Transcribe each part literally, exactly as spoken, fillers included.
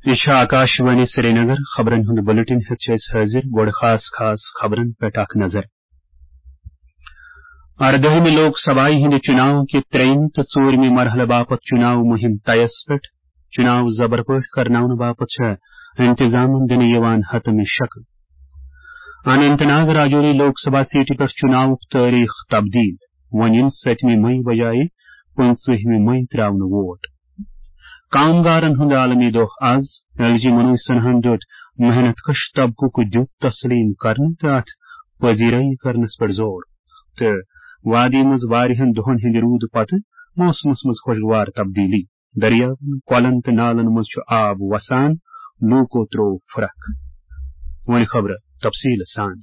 یہِ چھِ آکاشوانی سرینگر۔ خبرن ہُنٛد بلیٹن ہیٚتھ چھِ أسۍ حٲضِر۔ گۄڈٕ خاص خاص خبرن پٮ۪ٹھ اکھ نظر۔ اردٲہمہِ لوک سبھایہِ ہٕنٛدِ چُناو کہِ ترٛیٚیِمہِ تہٕ ژوٗرِمہِ مرحلہٕ باپتھ چُناو مُہِم طیَس پٮ۪ٹھ۔ چُناو زبر پٲٹھۍ کرناونہٕ باپتھ چھےٚ انتظامن دِنہٕ یِوان حتمی شکل۔ اننت ناگ راجوری لوک سبھا سیٹہِ پٮ۪ٹھ چُناوُک تٲریخ تبدیل۔ وۄنۍ یِن سٔتمہِ مئی بجایہِ پٕنٛژٕہمہِ مئی ترٛاونہٕ ووٹ۔ کامگارن ہُنٛد عالمی دۄہ از۔ ایل جی منوج سنہاہن دیُت محنت کش طبقُک دیُت تسلیم کرنہٕ تہٕ اتھ پذیرٲیی کرنس پٮ۪ٹھ زور۔ تہٕ وادی منٛز واریاہن دۄہن ہٕنٛدِ روٗدٕ پتہٕ موسمس منٛز خوشگوار تبدیلی۔ دٔریاوَن، کۄلَن تہٕ نالَن منٛز چھُ آب وسان، لوٗکو ترٛوو پھُرکھ۔ وۄنۍ خبرٕ تفصیٖل سان۔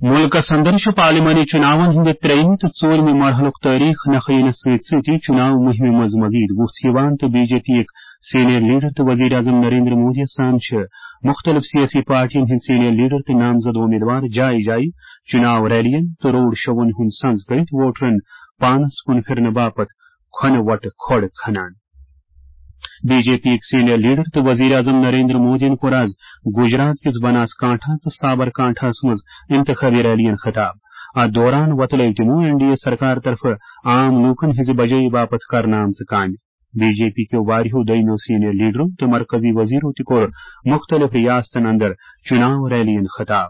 مُلکَس اندر چھُ پارلیمانی چُناوَن ہٕنٛدِ ترٛیٚیِمہِ تہٕ ژوٗرِمہِ مرحلُک تٲریخ نکھٕ یِنَس سۭتۍ سۭتی چُناو مُہِمہِ منٛز مزید وُژھ یِوان تہٕ بی جے پی یِک سینئر لیڈر تہٕ وزیر اعظم نریندر مودی یَس سان چھِ مُختٔلِف سیٲسی پارٹیَن ہٕنٛدۍ سینئر لیڈر تہٕ نامزد امیدوار جایہِ جایہِ چُناو ریلیَن تہٕ روڈ شووَن ہُنٛد سنز کٔرِتھ ووٹرَن پانَس کُن پھِرنہٕ باپتھ کھۄنہٕ وۄٹہٕ کھۄڑ کھنان۔ بی جے پی یِک سینئر لیڈر تہٕ وزیر اعظم نریندر مودیَن کوٚر از گجرات کِس بناس کانٹھا تہٕ سابر کانٹھاہَس منٛز انتخابی ریلیَن خطاب۔ اتھ دوران وۄتلٲوۍ تِمو این ڈی اے سرکار طرفہٕ عام لوٗکَن ہٕنٛزِ بجٲیی باپتھ کرنہٕ آمژٕ کامہِ۔ بی جے پی کیو واریاہو دوٚیمِیو سینئر لیڈرو تہٕ مرکزی وزیرو تہِ کوٚر مُختٔلِف ریاستن اندر چُناو ریلیَن خطاب۔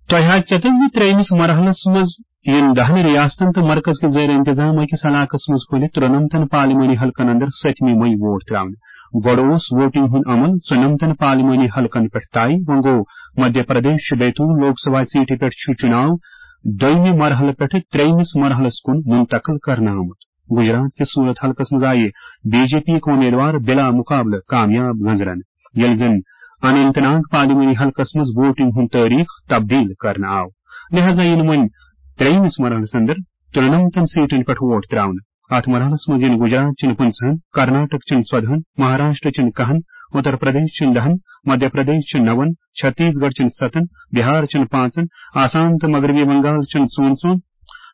تۄہہِ آسہِ ژےٚ تہٕ زِ ترٛیٚیِمِس مرحلَس منٛز یِن دَہَن ریاستن تہٕ مرکز کِس زیر انتظام أکِس علاقَس منٛز پھٔہلِتھ ترٛنَمتَن پارلیمانی حلقن اندر سٔتمہِ مئی ووٹ ترٛاونہٕ۔ گۄڈٕ اوس ووٹنگ ہُنٛد عمل ژُنَمتَن پارلیمانی حلقن پٮ۪ٹھ طے۔ وۄنۍ گوٚو مدھیہ پردیش چہِ بیتول لوک سبھا سیٹہِ پٮ۪ٹھ چھُ چُناو دوٚیمہِ مرحلہٕ پٮ۪ٹھٕ ترٛیٚیِمِس مرحلَس کُن منتقل کرنہٕ آمُت۔ گجرات کِس صورت حلقس منٛز آیہِ بی جے پی یِک امیدوار بلا مقابلہٕ کامیاب گنزرن، ییٚلہِ زن اننت ناگ پارلیمانی حلقس منٛز ووٹنگ ہُنٛد تٲریخ تبدیل کرنہٕ آو۔ لہذا یِن وۄنۍ ترٛیٚیمِس مرحلس اندر ترٛنَمتَن سیٹن پٮ۪ٹھ ووٹ ترٛاونہٕ۔ اتھ مرحلس منٛز یِن گجرات چٮ۪ن پٕنٛژٕہن، کرناٹک چٮ۪ن ژۄدہن، مہاراشٹر چٮ۪ن کاہن، اتر پردیش چٮ۪ن دَہن، مدھیہ پردیش چٮ۪ن نَوَن، چھتیس گڑھ چٮ۪ن سَتَن، بہار چٮ۪ن پانٛژن، آسام تہٕ مغربی بنگال چٮ۪ن ژۄن ژۄن،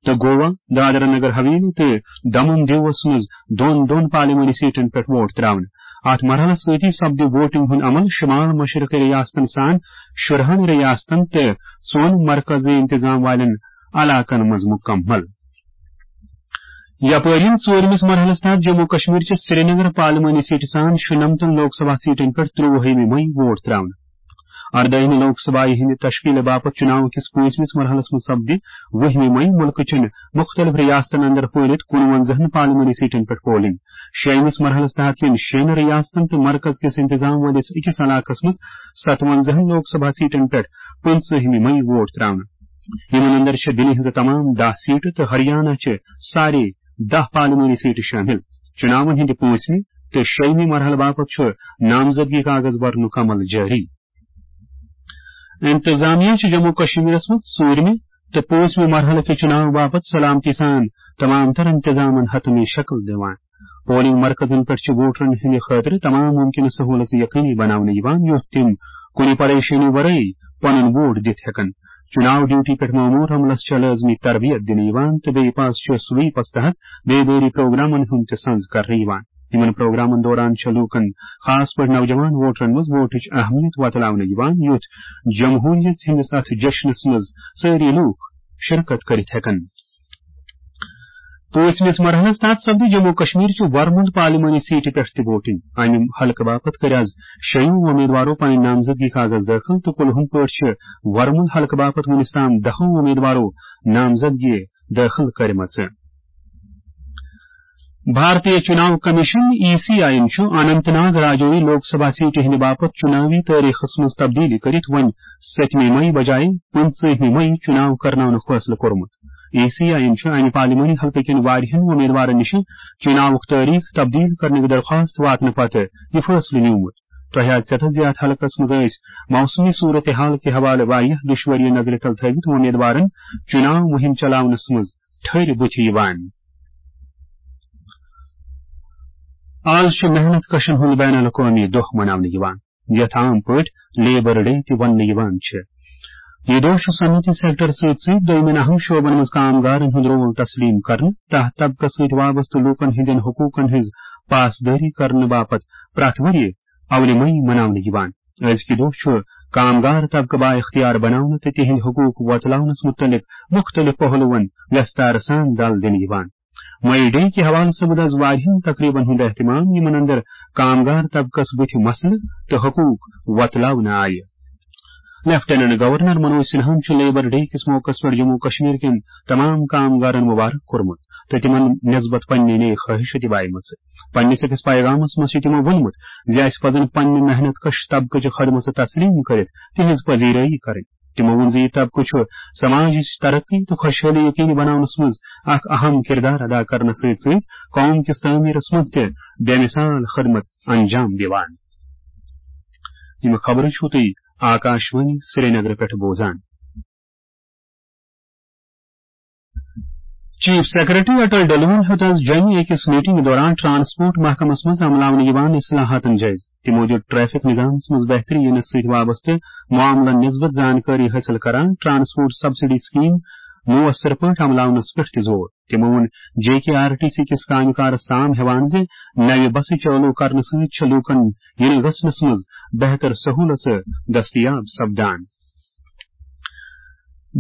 تہٕ گوا، دادرا نگر حویلی تہٕ دمن دیوس منٛز دۄن دۄن پارلیمانی سیٹن پٮ۪ٹھ ووٹ ترٛاونہٕ۔ اتھ مرحلس سۭتی سپدِ ووٹنگ ہُنٛد عمل شمال مشرقی ریاستن سان شُرہن ریاستن تہٕ ژۄن مرکزی انتظام والٮ۪ن علاقن منٛز مُکمل۔ یپٲرۍ یِن ژوٗرمِس مرحلس تحت جموں کشمیر چہِ سرینگر پارلیمانی سیٹہِ سان شُنمتن لوک سبھا سیٹن پٮ۪ٹھ ترٛۆوُہمہِ مئی ووٹ ترٛاونہٕ۔ اردٲہمہِ لوک سبھایہِ ہٕنٛدِ تشکیلہٕ باپتھ چُناو کِس پٲنٛژمِس مرحلس منٛز سپدِ وُہمہِ مئی مُلکہٕ چٮ۪ن مُختٔلِف ریاستن اندر پھٔہلِتھ کُنوَنزاہن پارلیمانی سیٹن پٮ۪ٹھ پولنگ۔ شیٚیِمِس مرحلس تحت یِن شیٚن ریاستن تہٕ مرکز کِس انتظام وٲلِس أکِس علاقس منٛز ستوَنزاہن لوک سبھا سیٹن پٮ۪ٹھ پٕنٛژٕہمہِ مئی ووٹ ترٛاونہٕ۔ یِمن اندر چھِ دِلہِ ہٕنٛزٕ تمام دَہ سیٹہٕ تہٕ ہریانہ چہِ سارے دَہ پارلیمانی سیٹہٕ شٲمِل۔ چُناون ہٕنٛدِ پٲنٛژمہِ تہٕ شیٚیِمہِ مرحلہٕ باپتھ چھُ نامزدگی کاغذ برنُک عمل جٲری۔ انتظامیہ چھُ جموں کشمیرس منٛز ژوٗرمہِ تہٕ پٲنٛژمہِ مرحلہٕ کہِ چُناو باپتھ سلامتی سان تمام تر انتظامن حتمی شکل دِوان۔ پولنگ مرکزن پٮ۪ٹھ چھِ ووٹرن ہٕنٛدِ خٲطرٕ تمام ممکنہٕ سہولژٕ یقینی بناونہٕ یِوان، یُتھ تِم کُنہِ پریشٲنی ورٲے پنُن ووٹ دِتھ ہٮ۪کن۔ چُناو ڈیوٹی پٮ۪ٹھ مامور عملس چھےٚ لٲزمی تربیت دِنہٕ یِوان تہٕ بیٚیہِ پاس چھُ سویپس تحت بیدٲری پروگرامن ہُنٛد تہِ سنز کرنہٕ یِوان۔ یِمن پروگرامن دوران چھےٚ لوٗکن، خاص پٲٹھۍ نوجوان ووٹرن منٛز ووٹٕچ اہمیت وۄتلاونہٕ یِوان، یُتھ جمہوریت ہٕنٛدِس اتھ جشنس منٛز سٲری لوٗکھ شرکت کٔرِتھ ہٮ۪کن۔ پٲنٛژمِس مرحلس تحت سپدِ جموں کشمیر چہِ ورمُل پارلیمانی سیٹہِ پٮ۪ٹھ تہِ ووٹنگ۔ امہِ حلقہٕ باپتھ کٔرۍ از شیٚیو امیدوارو پنٕنۍ نامزدگی کاغذ دٲخل تہٕ کُلہُم پٲٹھۍ چھِ ورمُل حلقہٕ باپتھ وُنِس تام دَہو امیدوارو نامزدگی دٲخل کٔرمٕژ۔ بھارتی چُناو کمیشن، ای سی آئی یَن چھُ اننت ناگ راجوری لوک سبھا سیٹہِ ہٕنٛدِ باپتھ چُناوی تٲریخس منٛز تبدیلی کٔرِتھ وۄنۍ سٔتمہِ مئی بجایہِ پٕنٛژٕہمہِ مئی چُناو کرناونُک فٲصلہٕ کوٚرمُت۔ ای سی آئی یَن چھُ امہِ پارلیمانی حلقہٕ کٮ۪ن واریاہن امیدوارن نِش چُناوُک تٲریخ تبدیل کرنٕچ درخواست واتنہٕ پتہٕ یہِ فٲصلہٕ نیوٗمُت۔ تۄہہِ آسہِ ژےٚ تہٕ زِ یَتھ حلقس منٛز ٲسۍ موسمی صورتحال کہِ حوالہٕ واریاہ دُشوٲریہِ نظرِ تل تھٲوِتھ امیدوارن چُناو مُہِم چلاونس منٛز ٹھٔرۍ بُتھِ یِوان۔ آز چھُ محنت کشن ہُنٛد بین الاقوٲمی دۄہ مناونہٕ یِوان، یتھ عام پٲٹھۍ لیبر ڈے تہِ وننہٕ یِوان چھِ۔ یہِ دۄہ چھُ صنعتی سیکٹر سۭتۍ سۭتۍ دوٚیمٮ۪ن اہم شعبن منٛز کامگارن ہُنٛد رول تسلیٖم کرنہٕ، تحت طبقس سۭتۍ وابستہٕ لوٗکن ہٕنٛدٮ۪ن حقوٗقن ہٕنٛز پاسدٲری کرنہٕ باپتھ پرٛٮ۪تھ ؤرۍ یہِ اولہِ مئی مناونہٕ یِوان۔ أزکہِ دۄہ چھُ کامگار طبقہٕ بااختیار بناونہٕ تہٕ تِہنٛدۍ حقوٗق وۄتلاونس مُتعلق مُختٔلِف پہلوَن وٮ۪ستارٕ سان دَل دِنہٕ یِوان۔ مئی ڈے کہِ حوالہٕ سپُد از واریاہن تقریبن ہُنٛد اہتمام، یِمن اندر کامگار طبقس بُتھِ مسلہٕ تہٕ حقوٗق وۄتلاونہٕ آیہِ۔ لیفٹیننٹ گورنر منوج سنہاہن چھُ لیبر ڈے کِس موقعس پٮ۪ٹھ جموں کشمیر کٮ۪ن تمام کامگارن مبارک کوٚرمُت تہٕ تِمن نسبت پننہِ نیک خواہشہٕ تہِ بایمژٕ۔ پننِس أکِس پیغامس منٛز چھُ تِمو ووٚنمُت زِ اسہِ پزن پننہِ محنت کش طبقہٕ چہِ خدمژٕ تسلیٖم کٔرِتھ تِہنٛز پذیرٲیی کرٕنۍ۔ تِمو ووٚن زِ یہِ طبقہٕ چھُ سماجٕچ ترقی تہٕ خۄشحٲلی یقینی بناونس منٛز اکھ اہم کردار ادا کرنس سۭتۍ سۭتۍ قوم کِس تعمیرس منٛز تہِ بے مثال خدمت انجام دِوان۔ یِم خبرٕ چھِو تُہۍ آکاشوانی سرینگرٕ پٮ۪ٹھ بوزان۔ چیف سیکرٹری اٹل ڈلوَن ہیوٚت از جوٚمہِ أکِس میٹنگ دوران ٹرانسپورٹ محکمس منٛز عملاونہٕ یِوان اصلاحاتن جٲیزٕ۔ تِمو دیُت ٹریفک نظامس منٛز بہتری یِنس سۭتۍ وابستہٕ معاملن نسبت زانکٲری حٲصِل کران ٹرانسپورٹ سبسڈی سکیٖم مؤثر پٲٹھۍ عملاونس پٮ۪ٹھ تہِ زور۔ تِمو ووٚن جے کے آر ٹی سی کِس کامہِ کارس تام ہٮ۪وان زِ نوِ بسہٕ چالو کرنہٕ سۭتۍ چھِ لوٗکن یِنہٕ گژھنس منٛز بہتر سہوٗلژٕ دٔستیاب سپدان۔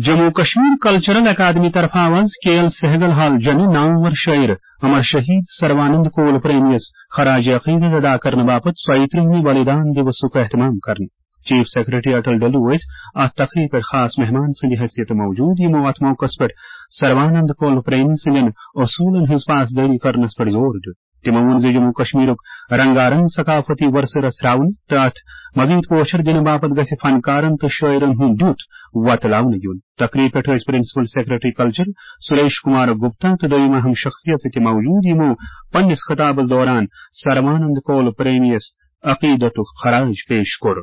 جموں کشمیر کلچرل اکیڈمی طرفہٕ آو از کے ایل سہگل ہال جوٚمہِ نامور شٲعر امر شہید سروانند کول پریمیَس خراج عقیدت ادا کرنہٕ باپتھ ژۄیہِ ترٕٛہمہِ بلیدان دیوسُک اہتمام کرنہٕ۔ چیف سیکرٹری اٹل ڈلو ٲسۍ اتھ تقریبہِ پٮ۪ٹھ خاص مہمان سٕنٛدِ حیثیتہٕ موجود، یِمو اتھ موقعس پٮ۪ٹھ سروانند کول پریمی سٕنٛدٮ۪ن اصوٗلن ہٕنٛز پاسدٲری کرنس پٮ۪ٹھ زور دیُت۔ تِمو ووٚن زِ جموں کشمیرُک رنگارنگ ثقافتی ورثہٕ رژھراونہٕ تہٕ اتھ مزید پوچھر دِنہٕ باپتھ گژھِ فنکارن تہٕ شٲعرن ہُنٛد دیُت وۄتلاونہٕ یُن۔ تقریبہِ پٮ۪ٹھ ٲسۍ principal secretary culture Suresh Kumar Gupta تہٕ دوٚیِم اہم شخصیت تہِ موجود، یِمو پننِس خطابس دوران سروانند کول پریمیَس عقیدتُک خراج پیش کوٚر۔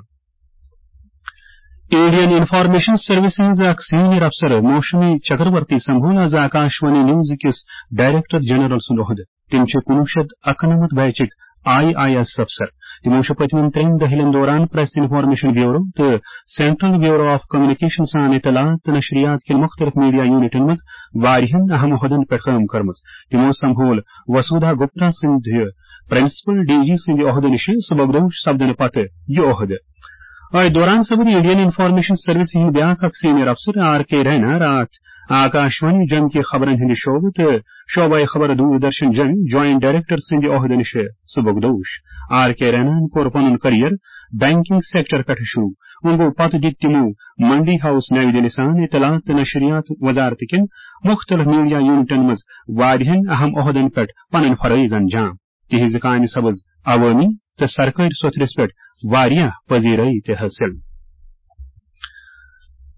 انڈین انفارمیشن سروسز ہٕنٛز اکھ سینئر افسر موشمی چکرورتی سمبھول از آکاشوانی نیوز کِس ڈائریکٹر جنرل سُنٛد عہدٕ۔ تِم چھِ کُنوُہ شیٚتھ اَکنَمَتھ بیچٕکۍ آئی آئی ایس افسر۔ تِمو چھُ پٔتمٮ۪ن ترٛٮ۪ن دٔہلٮ۪ن دوران پریس انفارمیشن بیورو تہٕ سینٹرل بیورو آف کمیونیکیشن سان اطلاعات تہٕ نشریات کٮ۪ن مُختٔلِف میڈیا یونٹن منٛز واریاہن اہم عہدن پٮ۪ٹھ کٲم کٔرمٕژ۔ تِمو سمبھول وسودھا گپتا سٕنٛدِ پرنسپل ڈی جی سٕنٛدِ عہدٕ نِشہِ سبکدوش سپدنہٕ پتہٕ یہِ عہدٕ۔ أتھۍ دوران سپُد انڈین انفارمیشن سروس ہٕنٛدۍ بیٛاکھ اکھ سینئر افسر آر کے رینا راتھ آکاشوانی جوٚمہِ کہِ خبرن ہٕنٛدِ شعبہٕ تہٕ شعبہ خبر دوردرشن جوٚمہِ جوائنٹ ڈائریکٹر سٕنٛدِ عہدٕ نِشہِ سبکدوش۔ آر کے ریناہن کوٚر پنُن کریئر بینکنگ سیکٹر پٮ۪ٹھٕ شروع۔ وۄنۍ گوٚو پتہٕ دِتۍ تِمو منڈی ہاؤس نَیہِ دِلہِ سان اطلاعات تہٕ نشریات وزارت کٮ۪ن مُختٔلِف میڈیا یونٹن منٛز واریاہن اہم عہدن پٮ۪ٹھ پنٕنۍ فرٲیض انجام۔ تِہنٛزِ کامہِ سپٕز عوٲمی تہٕ سرکٲرۍ سوٚتھرِس پٮ۪ٹھ واریاہ پذیرٲیی تہِ حٲصِل۔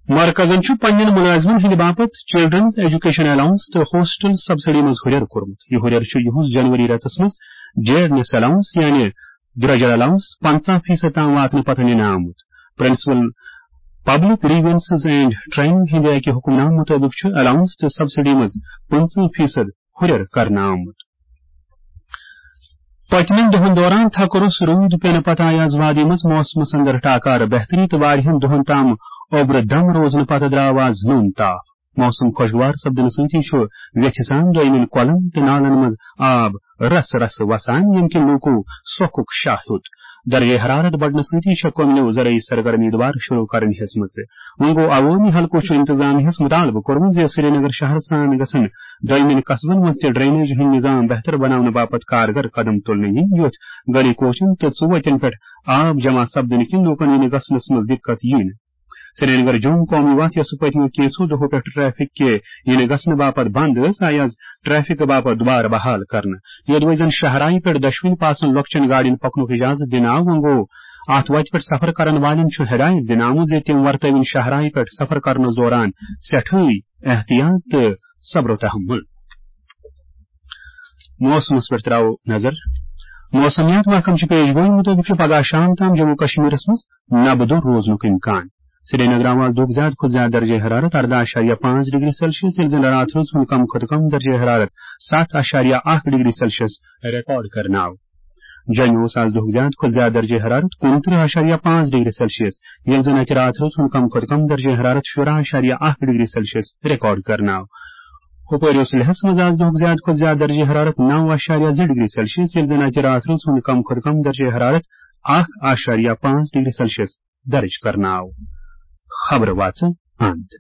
مرکزن چھُ پننٮ۪ن مُلٲزمن ہٕنٛدِ باپتھ چلڈرنز ایجوکیشن الاؤنس تہٕ ہاسٹل سبسڈی منٛز ہُرٮ۪ر کوٚرمُت۔ یہِ ہُرٮ۪ر چھُ یِہُس جنوری رٮ۪تس منٛز ڈیڈنس الاؤنس یعنی درٛۄجر الاؤنس پنٛژاہ فیصد تام واتنہٕ پتہٕ نِنہٕ آمُت۔ Principal public grievances and training ہٕنٛدِ اکہِ حکم نامہٕ مُطٲبِق چھُ الاؤنس تہٕ سبسڈی منٛز پٕنٛژٕہ فیصد ہُرٮ۪ر کرنہٕ آمُت۔ پٔتمٮ۪ن دۄہَن دوران تھکہٕ روٚس روٗد پینہٕ پتہٕ آیہِ آز وادی منٛز موسمس اندر ٹاکارٕ بہتری تہٕ واریاہَن دۄہَن تام اوٚبرٕ دم روزنہٕ پتہٕ درٛاو آز نوٚن تاپھ۔ موسم خۄشگوار سپدنہٕ سۭتی چھُ ویتھِ سان دوٚیمٮ۪ن کۄلَن تہٕ نالَن منٛز آب رس رس وسان، ییٚمہِ کِنۍ لوٗکو سۄکھُک شاہ ہیوٚت۔ درجہ حرارت بڑنہٕ سۭتی چھےٚ کۄمنیو زرعی سرگرمی دوبارٕ شروع کرٕنۍ ہیٚژمٕژ۔ وۄنۍ گوٚو، عوٲمی حلقو چھُ انتظامیہس مطالبہٕ کوٚرمُت زِ سرینگر شہرٕ سان گژھن دوٚیمٮ۪ن قصبن منٛز تہِ ڈرینیج ہٕنٛدۍ نظام بہتر بناونہٕ باپتھ کارگر قدم تُلنہٕ یِنۍ، یُتھ گلی کوچن تہٕ ژُوتٮ۪ن پٮ۪ٹھ آب جمع سپدنہٕ کِنۍ لوٗکن یِنہٕ گژھنس منٛز دِقت یِیہِ نہٕ۔ سرینگر جوم قومی وتھ، یۄسہٕ پٔتمیو کینٛژھو دۄہو پٮ۪ٹھ ٹریفک کہِ یِنہٕ گژھنہٕ باپتھ بند ٲس، آیہِ آز ٹریفک باپتھ دوبارٕ بحال کرنہٕ۔ یوٚدوَے زن شاہراہہِ پٮ۪ٹھ دۄشوٕنۍ پاسن لۄکچٮ۪ن گاڑٮ۪ن پکنُک اجازت دِنہٕ آو، وۄنۍ گوٚو، اتھ وتہِ پٮ۪ٹھ سفر کرن والٮ۪ن چھُ ہدایت دِنہٕ آمُت زِ تِم ورتٲوِن شاہراہہِ پٮ۪ٹھ سفر کرنس دوران سٮ۪ٹھٕے احتیاط تہٕ صبر و تحمل۔ موسمس پٮ۪ٹھ تراوو نظر۔ موسمیات محکمہٕ چہِ پیش گویی مُطٲبِق چھُ پگہہ شام تام جموں کشمیرس منٛز نبہٕ دوٚر روزنُک امکان۔ سرینگر آو آز دۄہُک زیادٕ کھۄتہٕ زیادٕ درجہ حرارت ارداہ اعشاریہ پانٛژھ ڈگری سیلسیس، ییٚلہِ زن راتھ روٗد ہُنٛد کم کھۄتہٕ کم درجہ حرارت ستھ اعشاریہ اکھ ڈگری سیلسیس ریکارڈ کرنہٕ آو۔ جوٚمہِ اوس از دۄہُک زیادٕ کھۄتہٕ زیادٕ درجہ حرارت کُنترٕہ اعشاریہ پانٛژھ ڈگری سیلسیس، ییٚلہِ زن اتہِ راتھ رٲژ ہُنٛد کم کھۄتہٕ کم درجہ حرارت شُراہ اعشاریہ اکھ ڈگری سیلسیس ریکارڈ کرنہٕ آو۔ ہُپٲرۍ اوس لیہس منٛز از دۄہُک زیادٕ کھۄتہٕ زیادٕ درجہ حرارت نو اعشاریہ زٕ ڈگری سیلسیس، ییٚلہِ زن اتہِ راتھ رٲژ ہُنٛد کم کھۄتہٕ کم درجہ حرارت اکھ اعشاریہ پانٛژھ ڈگری سیلسیس درج کرنہٕ آو۔ خبرٕ واژٕ اند۔